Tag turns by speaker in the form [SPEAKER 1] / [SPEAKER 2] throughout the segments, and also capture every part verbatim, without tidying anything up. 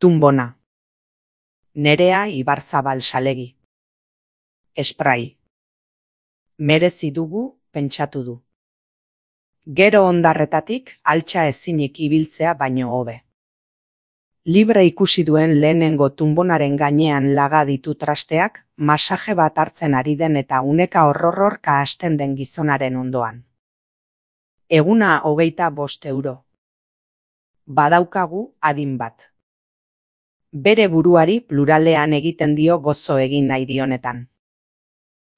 [SPEAKER 1] Tunbona. Nerea Ibarzabal Salegi. Esprai. Merezi dugu, pentsatu du. Gero ondarretatik altxa ezinik ibiltzea baino hobe. Libre ikusi duen lehenengo tunbonaren gainean laga ditu trasteak, masaje bat hartzen ari den eta uneka horrorrorka hasten den gizonaren ondoan. Eguna hogeita bost euro. Badaukagu adin bat. Bere buruari pluralean egiten dio gozo egin nahi dionetan.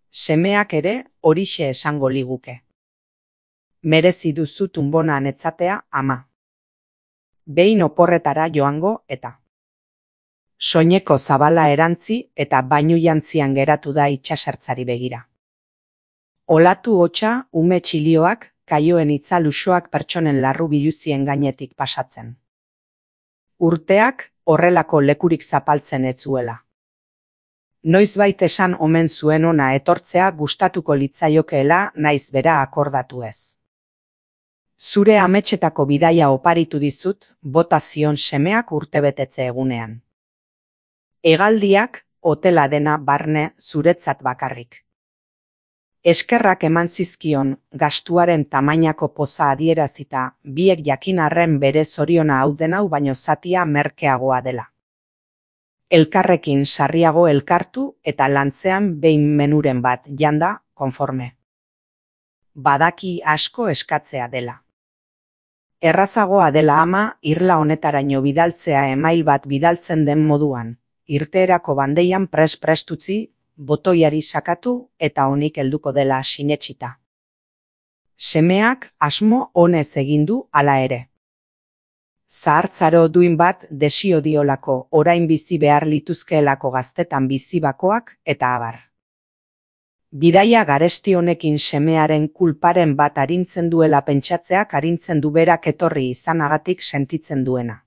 [SPEAKER 1] Semeak ere horixe esango liguke. Merezi duzu tunbona netzatea, ama. Behin oporretara joango eta. Soineko zabala erantzi eta bainu jantzian geratu da itsasertzari begira. Olatu hotsa ume txilioak, kaioen itzaluxoak pertsonen larru biluzien gainetik pasatzen. Urteak horrelako lekurik zapaltzen ez zuela. Noizbait esan omen zuen ona etortzea gustatuko litzaiokeela naiz bera akordatu ez. Zure ametsetako bidaia oparitu dizut, bota zion semeak urtebetetze egunean. Hegaldiak hotela dena barne zuretzat bakarrik. Eskerrak eman zizkion gastuaren tamainako poza adierazita, biek jakin arren bere zoriona hau den hau baino zatia merkeagoa dela. Elkarrekin sarriago elkartu eta lantzean behin menuren bat janda, konforme. Badaki asko eskatzea dela. Errazagoa dela ama, irla honetaraino bidaltzea email bat bidaltzen den moduan, irteerako bandeian pres-prest utzi, botoiari sakatu eta honik helduko dela sinetsita. Semeak asmo honez egin du hala ere. Zahartzaro duin bat desio diolako orain bizi behar lituzkeelako gaztetan bizi bakoak eta abar. Bidaia garesti honekin semearen kulparen bat arintzen duela pentsatzeak arintzen du berak etorri izanagatik sentitzen duena.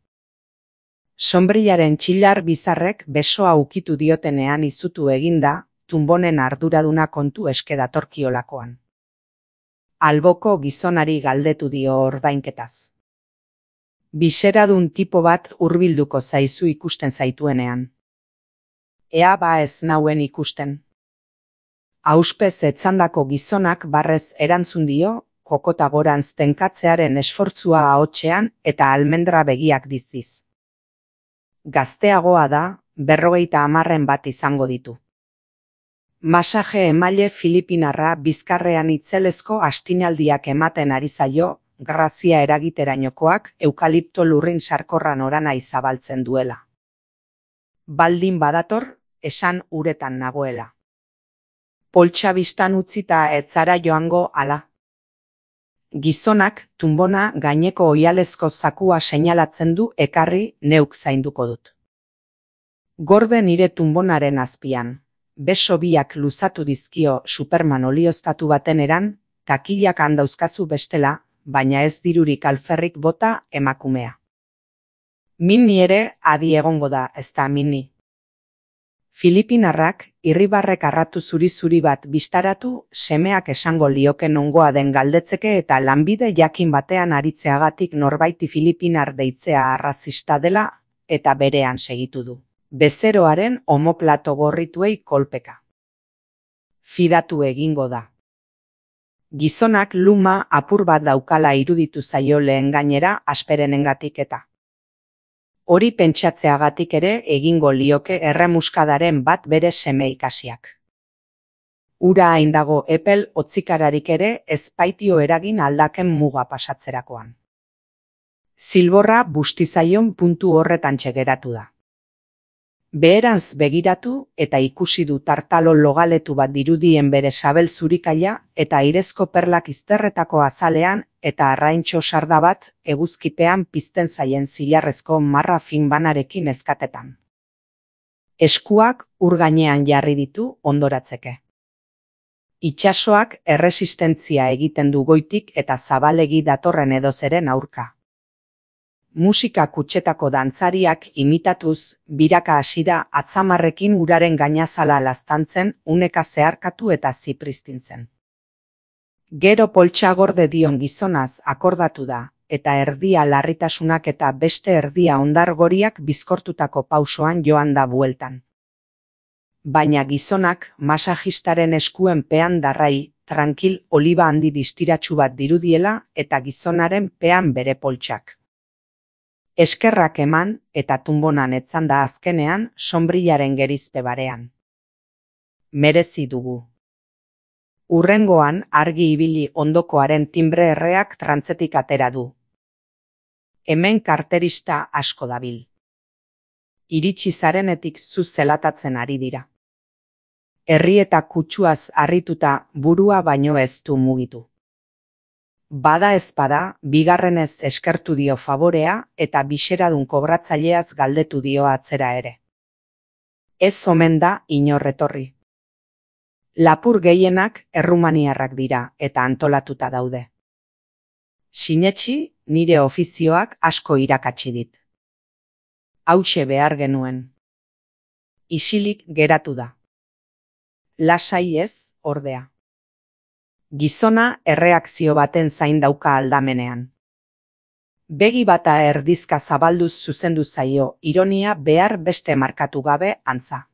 [SPEAKER 1] Sonbrilaren txilar bizarrek besoa ukitu diotenean izutu eginda, tunbonen arduraduna kontu eske datorkiolakoan. Alboko gizonari galdetu dio ordainketaz. Biseradun tipo bat hurbilduko zaizu ikusten zaituenean. Ea ba ez nauen ikusten. Auspez etzandako gizonak barrez erantzun dio, kokota gorantz tenkatzearen esfortzua ahotsean eta almendra begiak diziz. Gazteagoa da, berrogeita hamarren bat izango ditu. Masaje emaile filipinarra bizkarrean itzelezko astinaldiak ematen ari zaio, grazia eragiterainokoak eukalipto lurrin sarkorran orana izabaltzen duela. Baldin badator, esan uretan nagoela. Poltsa bistan utzita etzara joango ala. Gizonak tunbona gaineko oialezko zakua seinalatzen du ekarri neuk zainduko dut. Gorde nire tunbonaren azpian, beso biak luzatu dizkio Superman olioztatu baten eran, takilak handauzkazu bestela, baina ez dirurik alferrik bota emakumea. Minni ere adi egongo da, ez da minni. Filipinarrak irribarrek arratu zuri-zuri bat bistaratu, semeak esango lioke nongoa den galdetzeke eta lanbide jakin batean aritzeagatik norbaiti Filipinar deitzea arrazista dela eta berean segitu du. Bezeroaren omoplato gorrituei kolpeka. Fidatu egingo da. Gizonak luma apur bat daukala iruditu zaio lehen gainera asperenengatik eta. Hori pentsatzeagatik ere egingo lioke erremuskadaren bat bere seme ikasiak. Ura hain dago epel hotzikararik ere ez baitio eragin aldaken muga pasatzerakoan. Zilborra bustizaion puntu horretan txegeratu da. Beherantz begiratu eta ikusi du tartalo logaletu bat dirudien bere sabel zurikaila eta airezko perlak izterretako azalean eta arraintxo sarda bat eguzkipean pizten zaien zilarrezko marra fin banarekin ezkatetan. Eskuak ur gainean jarri ditu ondoratzeke. Itsasoak erresistentzia egiten du goitik eta zabalegi datorren edozeren aurka. Musika kutxetako dantzariak imitatuz, biraka hasi da atzamarrekin uraren gainazala laztantzen, uneka zeharkatu eta zipristintzen. Gero poltsa gorde dion gizonaz akordatu da, eta erdia larritasunak eta beste erdia ondargoriak bizkortutako pausoan joan da bueltan. Baina gizonak masajistaren eskuen pean darrai, trankil oliba handi distiratsu bat dirudiela eta gizonaren pean bere poltsak. Eskerrak eman eta tunbonan etzanda azkenean sonbrillaren gerizpe barean. Merezi dugu. Urrengoan argi ibili ondokoaren timbre erreak trantzetik atera du. Hemen karterista asko dabil. Iritsi zarenetik zu zelatatzen ari dira. Herri eta kutsuaz harrituta burua baino ez du mugitu. Bada ezpada, bigarrenez eskertu dio favorea eta biseradun kobratzaileaz galdetu dio atzera ere. Ez omen da inor etorri. Lapur gehienak errumaniarrak dira eta antolatuta daude. Sinetsi, nire ofizioak asko irakatsi dit. Hauxe behar genuen. Isilik geratu da. Lasai ez, ordea. Gizona erreakzio baten zain dauka aldamenean. Begi bata erdizka zabalduz zuzendu zaio, ironia behar beste markatu gabe antza.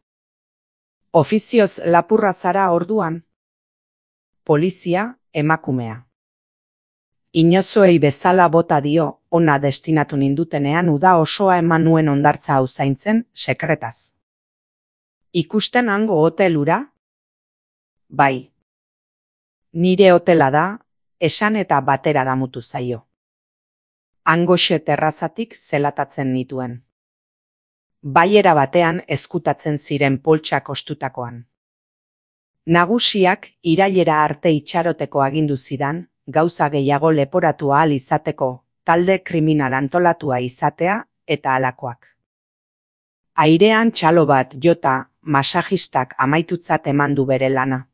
[SPEAKER 1] Ofizioz lapurra zara orduan? Polizia, emakumea. Inozoei bezala bota dio, ona destinatu nindutenean uda osoa eman nuen hondartza hau zaintzen, sekretaz. Ikusten hango hotelura? Bai. Nire hotela da, esan eta batera damutu zaio. Hangoxe terrazatik zelatatzen nituen. Baiera batean ezkutatzen ziren poltsak ostutakoan. Nagusiak irailera arte itxaroteko agindu zidan, gauza gehiago leporatu ahal izateko, talde kriminal antolatua izatea eta halakoak. Airean txalo bat jota, masajistak amaitutzat eman du bere lana.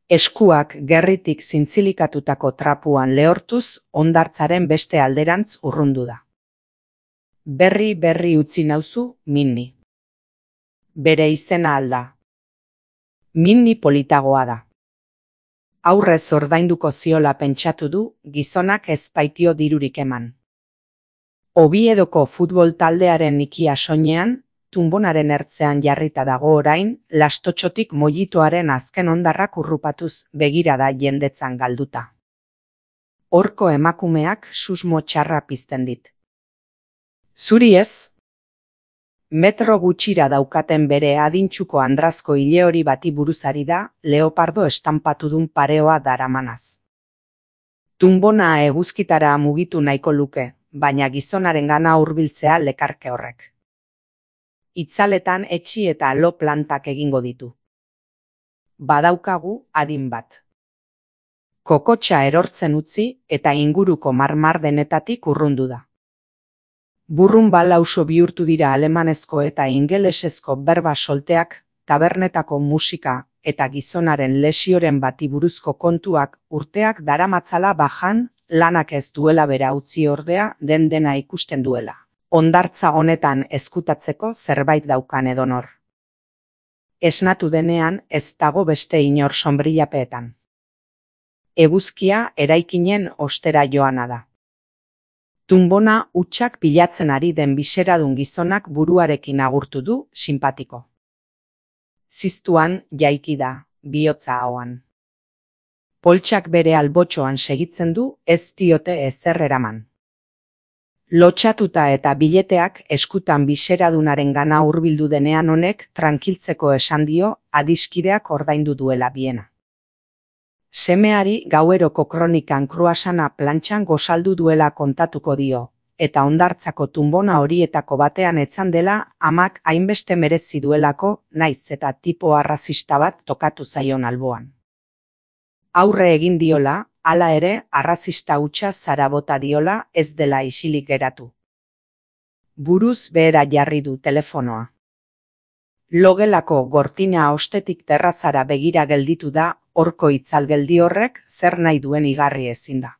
[SPEAKER 1] Eskuak gerritik zintzilikatutako trapuan lehortuz, hondartzaren beste alderantz urrundu da. Berri berri utzi nauzu, Minni. Bere izena alda. Minni politagoa da. Aurrez ordainduko ziola pentsatu du, gizonak ez baitio dirurik eman. Oviedoko futbol taldearen ikia soinean, tunbonaren ertzean jarrita dago orain, lastotxotik mojitoaren azken hondarrak urrupatuz begirada jendetzan galduta. Horko emakumeak susmo txarra pizten dit. Zuri ez? Metro gutxira daukaten bere adintxuko andrazko ileori bati buruzari da, leopardo estanpatudun pareoa daramanaz. Tunbona eguzkitara mugitu nahiko luke, baina gizonaren gana hurbiltzea lekarke horrek. Itzaletan etxi eta lo plantak egingo ditu. Badaukagu adin bat. Kokotxa erortzen utzi eta inguruko marmar denetatik urrundu da. Burrun balauso bihurtu dira alemanezko eta ingelesezko berba solteak, tabernetako musika eta gizonaren lesioren bati buruzko kontuak urteak daramatzala bajan, lanak ez duela bera utzi ordea den dena ikusten duela. Hondartza honetan ezkutatzeko zerbait daukan edonor. Esnatu denean ez dago beste inor sonbrillapeetan. Eguzkia eraikinen ostera joana da. Tunbona hutsak pilatzen ari den biseradun gizonak buruarekin agurtu du, sinpatiko. Ziztuan jaiki da, bihotza ahoan. Poltsak bere albotxoan segitzen du, ez diote ezer eraman. Lotxatuta eta bileteak eskutan biseradunaren gana hurbildu denean honek trankiltzeko esan dio adiskideak ordaindu duela biena. Semeari gaueroko kronikan kruasana plantxan gozaldu duela kontatuko dio, eta hondartzako tunbona horietako batean etzan dela amak hainbeste merezi duelako naiz eta tipo arrazista bat tokatu zaion alboan. Aurre egin diola, hala ere arrazista hutsa zara bota diola ez dela isilik geratu. Buruz behera jarri du telefonoa. Logelako gortina ostetik terrazara begira gelditu da, horko itzalgeldi horrek zer nahi duen igarri ezin da.